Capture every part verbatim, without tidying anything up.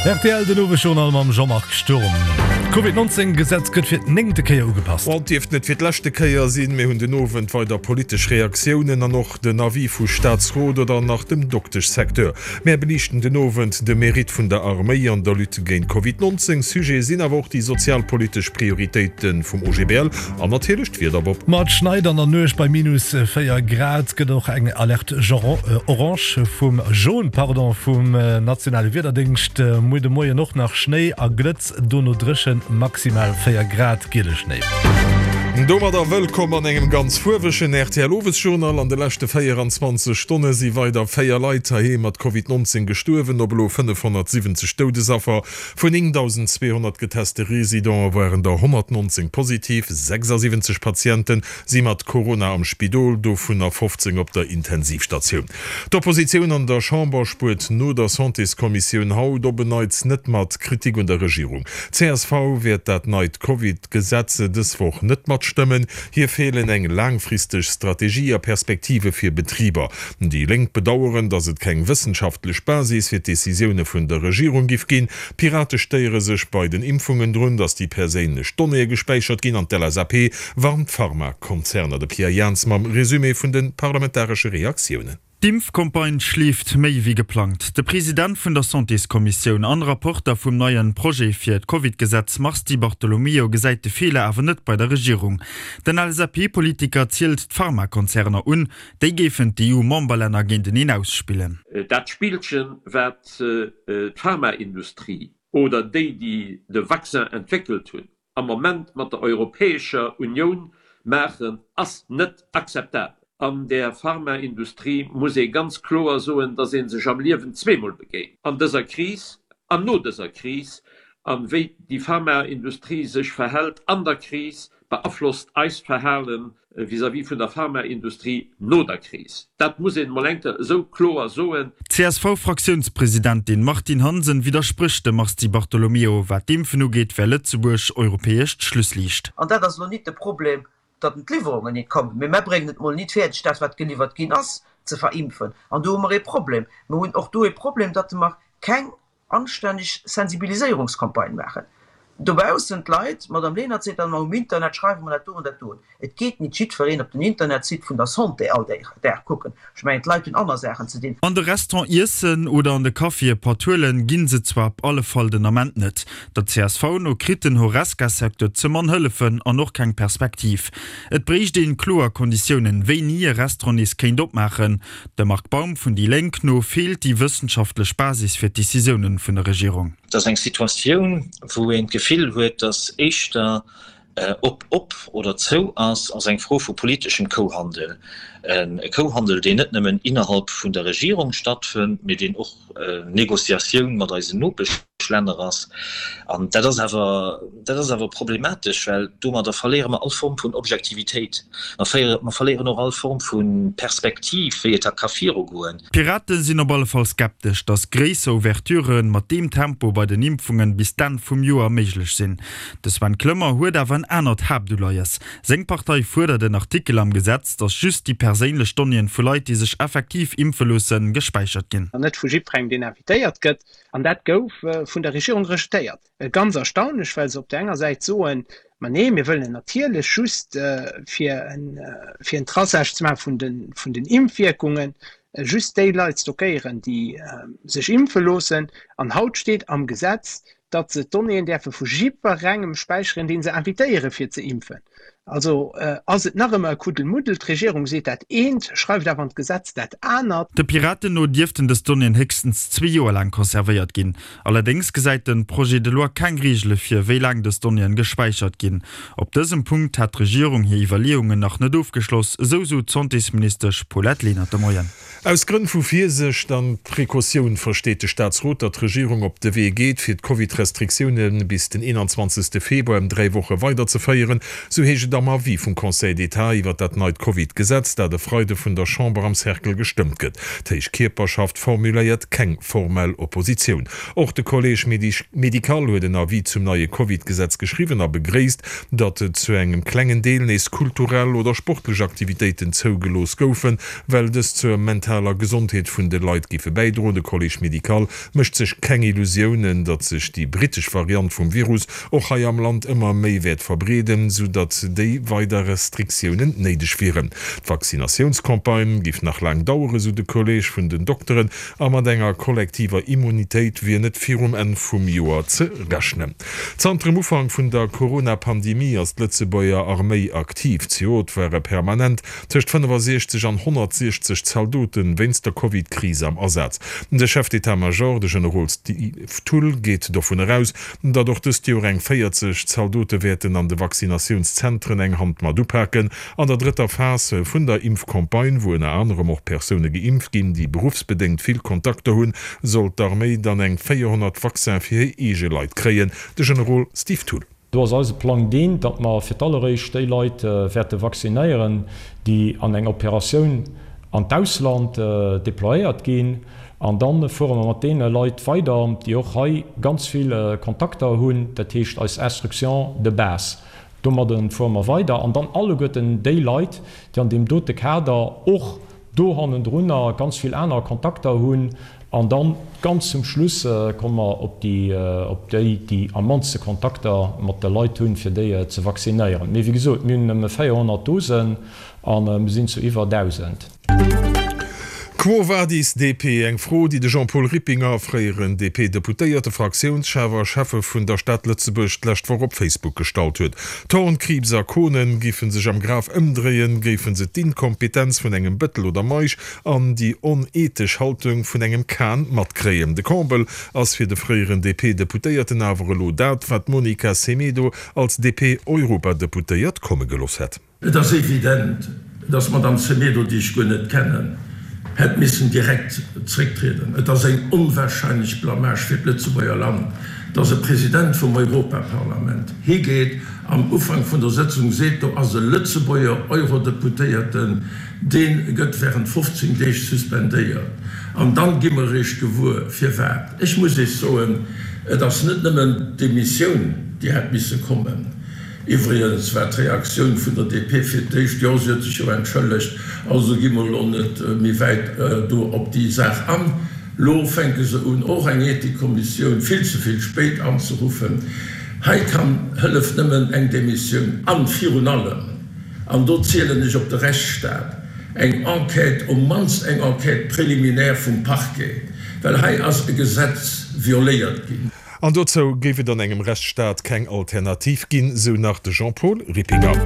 Rtl, den Owesjournal mam Jean-Marc Sturm. D'Covid neunzehn Gesetz gëtt fir d'néngte Kéier ugepasst. Et dierft net fir d'leschte Kéier sinn. Mir hunn den Owend weider politesch Reaktiounen an och den Avis vu Staatsrot oder nach dem Dokteschsecteur. Mär beliichten den Owend de Mérite vun der Arméi an der Lutte géint Covid neunzehn. Sujet sinn awer och déi sozialpolitesch Prioritéite vum O G B L an natierlech d'Wieder, Bob. Ma et schneit an der Nuecht, bei minus véier Grad gëtt och eng Alerte orange vum jaune, pardon, vum nationale Wiederdéngscht. Muer de Moien och nach Schnéi a Glëtz, dono dréchen, maximal véier Grad, giele Schnéi. Domadder wëllkomm an engem ganz fuerwegen R T L Owesjournal. An de leschte véieranzwanzeg Stonne si weider véier Leit heiheem mat Covid neunzehn gestuerwen, op elo fënnefhonnertsiwwenzeg Doudesaffer. Vun néngdausendzweehonnert geteste Residente waren der honnertneunzehn positiv. Sechsasiwwenzeg Patiente si mat Corona am Spidol, dovunner fofzéng op der Intensivstatioun. D'Oppositioun an der Chamber spuert no der Santéskommissioun haut op en Neits net mat Kritik un der Regierung. C S V wäert dat neit Covid-Gesetz dës Woch net matstëmmen. Hir feelen eng laangfristeg Strategie a Perspektive fir Betriber. Déi Lénk bedaueren, datt et keng wëssenschaftlech Basis fir d'Decisioune vun der Regierung giff ginn. D'Pirate stéiere sech bei den Impfungen drun, datt déi perséinlech Donnéeë gespäichert ginn an d'L S A P warnt d'Pharmakonzerner. De Pierre Jans mam Resumé vun de parlamentaresche Reaktiounen. D'Impfcampagne schleeft méi wéi geplangt. De President vun der Santéskommissioun an Rapporter vum neien Projet fir d'Covid-Gesetz Mars Di Bartolomeo gesäit de Feeler awer net bei der Regierung. Den L S A P-Politiker zielt d'Pharmakonzerner un, déi géifen d'E U-Memberlänner géinteneen ausspillen. Dat Spillchen, wat d'Pharmaindustrie oder déi, déi de Vaccin entwéckelt hunn, am Moment mat der Europäescher Unioun maachen, ass net akzeptabel. An der Pharmaindustrie muss ee ganz kloer soen, dass ee sech am Liewen zweemol begéint, an dëser Kris an no dëser Kris. An wéi déi Pharmaindustrie sech verhält an der Kris, beaflosst eist Verhale vis-à-vis vun der Pharmaindustrie no der Kris. Dat muss een emol eng Kéier esou kloer soen. D'C S V-Fraktiounspresidentin Martine Hansen widdersprécht dem Mars Di Bartolomeo. Wat d'Impfen ugeet, wär Lëtzebuerg europäescht Schlussliicht. An dat ass elo nit de Problem, datt d'Liwwerungen nit kommen, mee mär bréngen et mol nit fäerdeg, dat wat geliwwert ginn ass, ze verimpfen. An do hu mer ee Problem. Mer hunn och do ee Problem, datt mer keng anstänneg Sensibiliséierungscampagne maachen. Dobaussen d'Leit, d'Madame Lenert seet dann ëmmer, um Internet schreiwe mer dat do an dat do. Et geet nit jiddwereen op den Internetsite vun der Santé all Dag kucken. Ech mengen, d'Leit hunn aner Saachen ze dinn. An de Restaurant iessen oder an de Café e Patt huelen, ginn se zwar op alle Fall den Ament net. Der C S V no kritt den Horesca-Secteur ze mann Hëllefen an och keng Perspektiv. Et bréicht een kloer Konditiounen, wéini e Restaurant nees kéint opmaachen. Dem Marc Baum vun déi Lénk no feelt déi wëssenschaftlech Basis fir d'Decisiounen vun der Regierung. Et ass eng Situatioun, wou een d'Gefill huet, datt éischter ob op oder zou ass, ass eng Fro vu politeschem Kouhandel. E Kouhandel, deen net nëmmen innerhalb vun der Regierung stattfënnt, mee deen och Negociatioun mat eisen Nopeschlänner ass. An dat ass awer, dat ass awer problematesch, well domadder verléiere mer all Form vun Objektivitéit. Mer verléieren och all Form vu Perspektiv, wéi et da ka virugoen. D'Piraten sinn op alle Fall skeptesch, datt gréisser Ouverturë mat deem Tempo bei den Impfungen bis d'Enn vum Joer méiglech sinn. De Sven Clement huet awer en anert Haaptuleies. Seng Partei fuerdert en Artikel am Gesetz, datt just déi perséinlech Donnéeën vu Leit, déi sech effektiv impfe loossen, gespäichert ginn. An net vu jiddwerengem, deen invitéiert gëtt. An dat gouf vun der Regierung rejetéiert. Ganz erstaunlech, well se op der enger Säit soen, ma nee, mir wëllen natierlech just fir en, fir en Traçage ze maache vun den, vun den Impfwierkungen, just déi Leit stockéieren, déi sech impfe loossen. An haut steet am Gesetz, datt se d'Donnéeën däerfe vu jiddwerengem späicheren, dee se invitéiere fir ze impfen. Also ass et nach ëmmer e Kuddelmuddel. D'Regierung seet dat eent, schreift awer an d'Gesetz dat anert. De Piraten no dierften dës Donnéeën héchstens zwee Joer laang conservéiert ginn. Allerdéngs gesäit de Projet de loi keng Reegele vir, wéi laang dës Donnéeën gespäichert ginn. Op dësem Punkt hätt d'Regierung hir Iwwerleeungen nach net ofgeschloss, esou sot d'Santésministesch Paulette Lenert de Moien. Aus Grënn vu Virsicht an Precautioun versteet de Staatsrot, datt d'Regierung op de Wee geet, fir d'Covid-Restriktioune bis den eenanzwanzegste Februar ëm dräi Woche weiderzeféieren, sou heescht et et am Avis vum Conseil d'État iwwer dat neit Covid-Gesetz, dat e Freide vun der Chamber am Cercle gestëmmt gëtt. D'héich Kierperschaft formuléiert keng formell Oppositioun. Och de Collège médical huet en Avis zum neie Covid-Gesetz geschriwwen a begréisst, datt zu engem klengen Deel nees kulturell oder sportlech Aktivitéiten zougelooss goufen, well dës zur mentaler Gesondheet vun de Leit géife bäidroen. De Collège médical mécht sech keng Illusiounen, datt sech déi brittesch Variant vum Virus och hei am Land ëmmer méi wäert verbreeden, sou datt déi weider Restriktiounen néideg wieren. D'Vaccinatiounscampagne géif nach laang daueren, sou de Kolleeg vun den Dokteren, a mat enger kollektiver Immunitéit wier net virum Enn vum Joer ze rechnen. Zanter dem Ufank vun der Corona-Pandemie ass d'Lëtzebuerger Arméi aktiv. Zejoert ware permanent tëscht fënnefasiechzeg an honnertsiechzeg Zaldote wéinst der Covid-Kris am Asaz. De Chef d'état-major, de Generol Steve Thull, geet dovun eraus, datt och dëst Joer eng véierzeg Zaldote wäerten an de Vaccinatiounszentren eng Hand mat upaken. An der drëtter Phas vun der Impfcampagne, wou ënner anerem och Persoune geimpft ginn, déi beruffsbedéngt vill Kontakter hunn, soll d'Arméi dann eng véierhonnert Vaccin fir hir eege Leit kréien. De Generol Steve Thull. Do ass eise Plang deen, datt mer fir d'alleréischt déi Leit wäerte vaccinéieren, déi an eng Operatioun an d'Ausland deployéiert ginn. An da fuere mer mat deene Leit weider, déi och hei ganz vill Kontakter hunn, dat heescht eis Instruction de base. Domadde fuere mer weider. An dann alleguerten déi Leit, déi an deem dote Kader och do hannendrunner ganz vill aner Kontakter hunn. An dann ganz zum Schluss komme mer op déi, op déi, déi am mannste Kontakter mat de Leit hunn, fir déi ze vaccinéieren. Mee wéi gesot, mir hunn nëmme véierhonnert Dosen a mir sinn zu iwwer dausend. Quo vadis D P? Eng Fro, déi de Jean-Paul Rippinger, fréieren D P-Deputéierte, Fraktiounschef a Schäffe vun der Stad Lëtzebuerg, d'lescht Woch op Facebook gestallt huet. Thorn, Krieps a Kohnen géife sech am Graf ëmdréien, géife se d'Inkompetenz vun engem Bettel oder Meisch an déi onethesch Haltung vun engem Kahn matkréien. De Comble ass fir de fréieren D P-Deputéierten awer elo dat, wat d'Monica Semedo als D P-Europadeputéiert komme gelooss hätt. Et ass evident, dass d'Madame Semedo, déi ech guer net kennen, hätt missen direkt zrécktrieden. Et ass eng onwahrscheinlech Blamage fir d'Lëtzebuerger Land, dass e President vum Europaparlament higeet, am Ufank vun der Sëtzung seet, do ass e Lëtzebuerger Eurodeputéierten, dee gëtt während fofzéng Deeg suspendéiert. An dann gi mer eréischt gewuer, firwat. Ech muss Iech soen, et ass net nëmmen d'Demissioun, déi hätt misse kommen. Iwwregens war d'Reaktioun vun der D P fir d'éischt, Jo, si huet sech jo entschëllegt, also gi mer elo net méi wäit do op déi Saach an. Lo fänke se un, och eng Ethikkommissioun vill ze vill spéit anzeruffen. Hei kann hëlleft nëmmen eng Demissioun an virun allem, an do zielen ech op de Rechtsstaat, eng Enquête, um mannst eng Enquête préliminaire vum Parquet, well hei ass e Gesetz violéiert ginn. An dozou géif et an engem Rechtsstaat keng Alternativ ginn, sou nach de Jean-Paul Rippinger.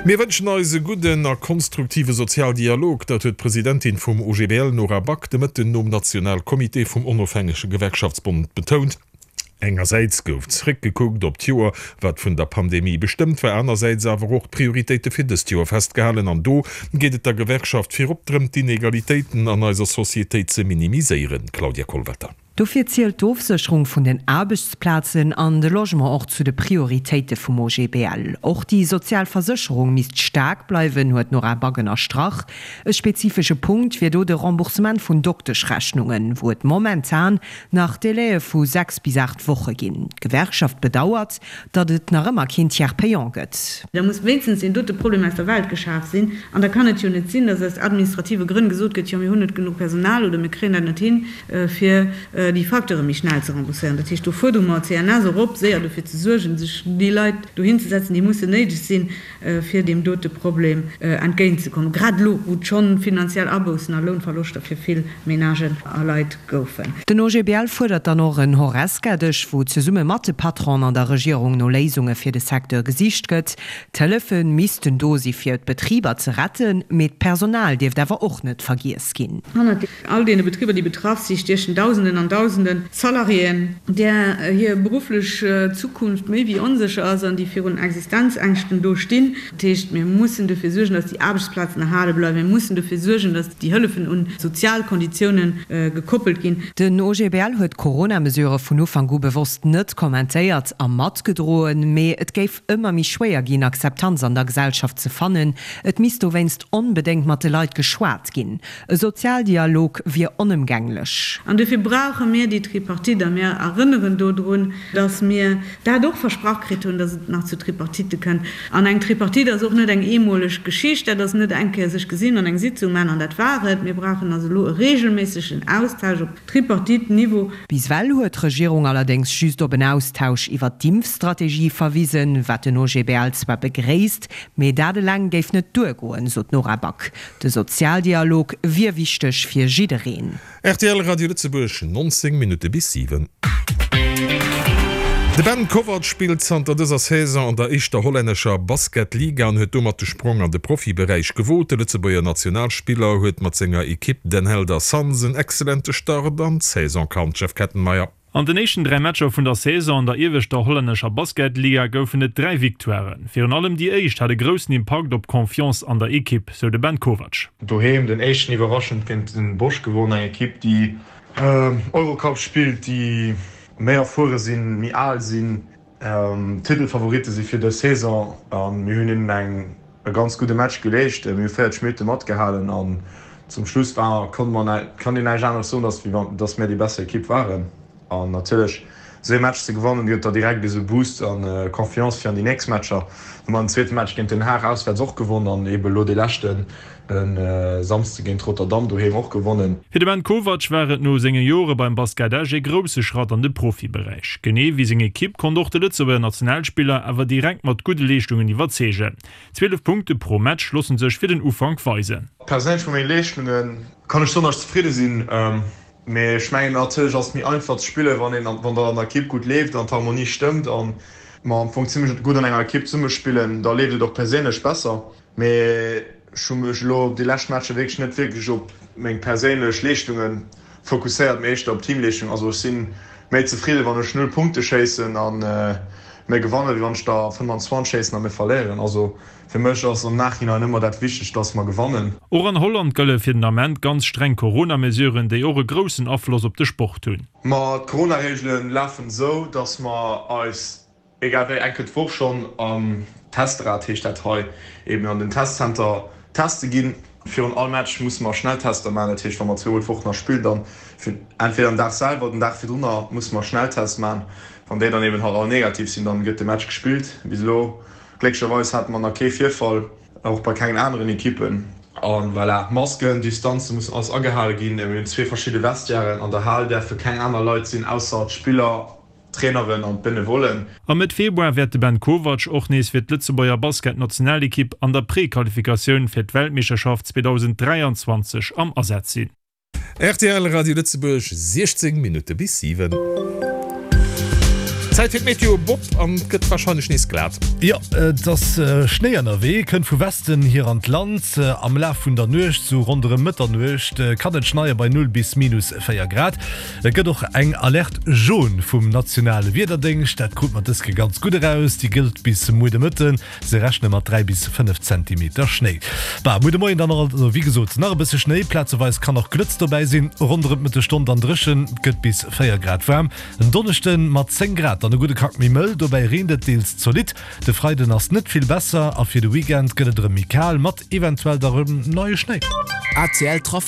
Mir wënschen eis e gudden a konstruktive Sozialdialog, dat huet d'Presidentin vum O G B L Nora Back de Mëtten nom Nationalcomité vum Onofhängege Gewerkschaftsbond betount. Engersäits gouf zeréckgekuckt op d'Joer, wat vun der Pandemie bestëmmt war, anersäits awer och d'Prioritéite fir dëst Joer festgehalen. An do geet et der Gewerkschaft virop drëm, d'Inegalitéiten an eiser Societéit ze minimiséieren. Claudia Kollwetter. Dofir zielt d'Ofsécherung vun den Aarbechtsplazen an de Logement och zu de Prioritéite vum O G B L. Och déi sozial Versécherung misst staark bleiwen, huet d'Nora Back ënnerstrach. E spezifesche Punkt wier do de Remboursement vun Dokteschrechnungen, wou et momentan nach Délaië vu sechs bis aacht Woche ginn. D'Gewerkschaft bedauert, datt et nach ëmmer keen Tiers payant gëtt. Da muss wéinstens deen dote Problem aus der Welt geschaf sinn. An da kann et jo net sinn, datt aus administrative Grënn gesot gëtt, jo mir hunn net genuch Personal oder mir kréien dat net hin, fir déi Facteure méi schnell ze rembourséieren. Dat heescht, do fuerdere mer d'C N S och op, séier dofir ze suergen, sech déi Leit dohin ze setzen, déi mussen néideg sinn, fir deem dote Problem entgéintzekommen, grad elo, wou et schonn finanziell Aboussen a Lounverloschter fir vill Menagen a Leit goufen. Den O G B L fuerdert dann och en Horesca-Dësch, wou zesumme mat de Patronen an der Regierung no Léisunge fir de Secteur gesicht gëtt. D'Hëllefe missten do si fir d'Betriber ze retten, mee d'Personal dierft awer och net vergiess ginn. Hannert all deene Betriber, déi betraff si stiechen Dausenden an Dausende Salariéen, där hir berufflech Zukunft méi wéi onsécher ass an déi virun Existenzängschten do stinn. Dat heescht, mir mussen dofir suergen, datt déi Aarbechtsplazen erhale bleiwen. Mir mussen dofir suergen, datt déi Hëllefen un sozial Konditiounen gekoppelt ginn. Den O G B L huet d'Corona-Mesurë vun Ufank u bewosst net kommentéiert a matgedroen, mee et géif ëmmer méi schwéier ginn, Akzeptanz an der Gesellschaft ze fannen. Et misst dowéinst onbedéngt mat de Leit geschwat ginn. E Sozialdialog wier onëmgänglech. An dofir brauche mir déi Tripartite. A mir erënneren dodrun, datt mir dat och versprach kritt hunn, datt et nach zu Tripartitte kënnt. An eng Tripartite ass och net eng eemoleg Geschicht. Dat ass net eng Kéier sech gesinn an eng Sitzung maachen an dat war et. Mir brauchen also elo e reegelméissegen Austausch op Tripartite-Niveau. Bis ewell huet d'Regierung allerdéngs just op en Austausch iwwer d'Impfstrategie verwisen, wat den O G B L zwar begréisst, mee dat eleng géif net duergoen, sot d'Nora Back. De Sozialdialog wier wichteg fir jiddereen. R T L Radio Lëtzebuerg, nonzéng Minutte bis siwen. De Ben Kovac spillt zanter dëser Saison an der éischter hollännescher Basketliga an huet domat de Sprong an de Profiberäich gewot. De Lëtzebuerger Nationalspiller huet mat senger Ekipp Den Helder Suns en excellente Start an d'Saison kannt, Jeff Kettenmeyer. An den éischten dräi Matcher vun der Saison an der ieweschter hollännescher Basketliga goufen et dräi Victoiren. Virun allem déi éischt hat e groussen Impakt op d'Confiance an der Ekipp, sou de Ben Kovac. Doheem den éischten iwwerraschend géint Den Bosch gewonnen, eng Ekipp déi Eurocup spillt, déi méi erfuere sinn, méi al sinn, Titelfavoritte si fir dës Saison a mir hunn hinnen eng e ganz gudde Match geleescht. Mir hu véierzeg Minutte matgehalen an zum Schluss war konnt man kann een näischt aneres soen, dass wéi wann dass mir déi besser Ekipp waren. An natierlech esou ee Match ze gewannen gëtt der direkt esou Boost an Confiance fir an déi nächst Matcher. Hu mer den zweete Match géint Den Haag auswäerts och gewonnen an eebe lo dee leschten de Samsde géint Rotterdam doheem och gewonnen. Fir de Ben Kovac war et no senge Jore beim Basket Esch ee grousse Schratt an de Profiberäich. Genee wéi seng Ekipp konnt och de Lëtzebuerger Nationalspiller awer direkt mat gudde Leeschtungen iwwerzeegen. Zwielef Punkte pro Match loosse sech fir den Ufank weisen. Perséinlech mat menge Leeschtunge kann ech soen, datt ech zefridde sinn. Mee ech mengen natierlech ass et méi einfach ze spillen, wann een wann der an der Ekipp gutt leeft an d'Harmonie stëmmt an mer am Fong zimmlech gutt an enger Ekipp zesummespillen, da leeft et och perséinlech besser. Mee ech hu mech elo op déi lescht Matcher wierklech net wierklech op meng perséinlech Leeschtunge fokusséiert, mee éischter op d'Teamleeschtung. Also ech si méi zefridde wann ech null Punkte schéissen a mir gewannen, wéi wann ech der fënnanzwanzeg schéissen a mir verléieren. Also fir mech ass am Nachhinein ëmmer dat Wichtegst, dass mer gewannen. Och an Holland gëlle fir den Ament ganz streng Corona-Mesuren, déi och e groussen Afloss op de Sport hunn. Ma d'Corona-Reegele lafen esou, dass mer eis egal wéi eng Kéier d'Woch schonn am Testrad, heescht dat hei, eben an den Testzenter teste ginn. Virun all Match musse mer Schnelltester maachen, dat heescht wa mer zweemol d'Woch nach spillen, dann entweder am Dag selwer oder den Dag virdrunner musse mer Schnelltests maachen. Wann déi dann eben halt all negativ sinn, dann gëtt de Match gespillt. Bis elo glécklecherweis hate mer nach kee Virfall, och bei kengen aneren Ekippen. A voilà, Masken, Distanze mussen alles agehale ginn. Mir hunn zwee verschidde Vestiairen, an der Hal däerfe keng aner Leit sinn ausser d'Spiller, d'Traineren an d'Benevollen. A Mëtt Februar wäert de Ben Kovac och nees fir d'Lëtzebuerger Basketnationalekipp an der Prequalifikatioun fir d'Weltmeeschterschaft zweedausend dräianzwanzeg am Asaz sinn. R T L Radio Lëtzebuerg, siechzéng Minutte bis siwen. Zäit fir d'Meteo, Bob, an et gëtt warscheinlech nees glat. Jo, et ass Schnéi ënnerwee, kënnt vu Westen hier an d'Land. Am Laf vun der Nuecht, sou ronderëm Mëtternuecht, kann et schneie bei null bis minus véier Grad. Et gëtt och eng Alerte jaune vum nationale Wiederdéngscht, dat krut mer dës Kéier ganz gutt eraus. Déi gëllt bis muer de Mëtten. Se rechne mat dräi bis fënnef Zentimeter Schnéi. Bah, muer de Moien dann also wéi gesot nach e bësse Schnéi, plazeweis kann och Glëtz dobäi sinn. Ronderëm d'Mëttesstonn dann dréchen, et gëtt bis véier Grad waarm. En Donneschde mat zéng Grad dann e gudde Krack méi mëll, dobäi reent et deels zolidd. De Freiden ass net vill besser a fir de Weekend gëtt et erëm méi kal mat eventuell da rëm neie Schnéi. A C L Trafic.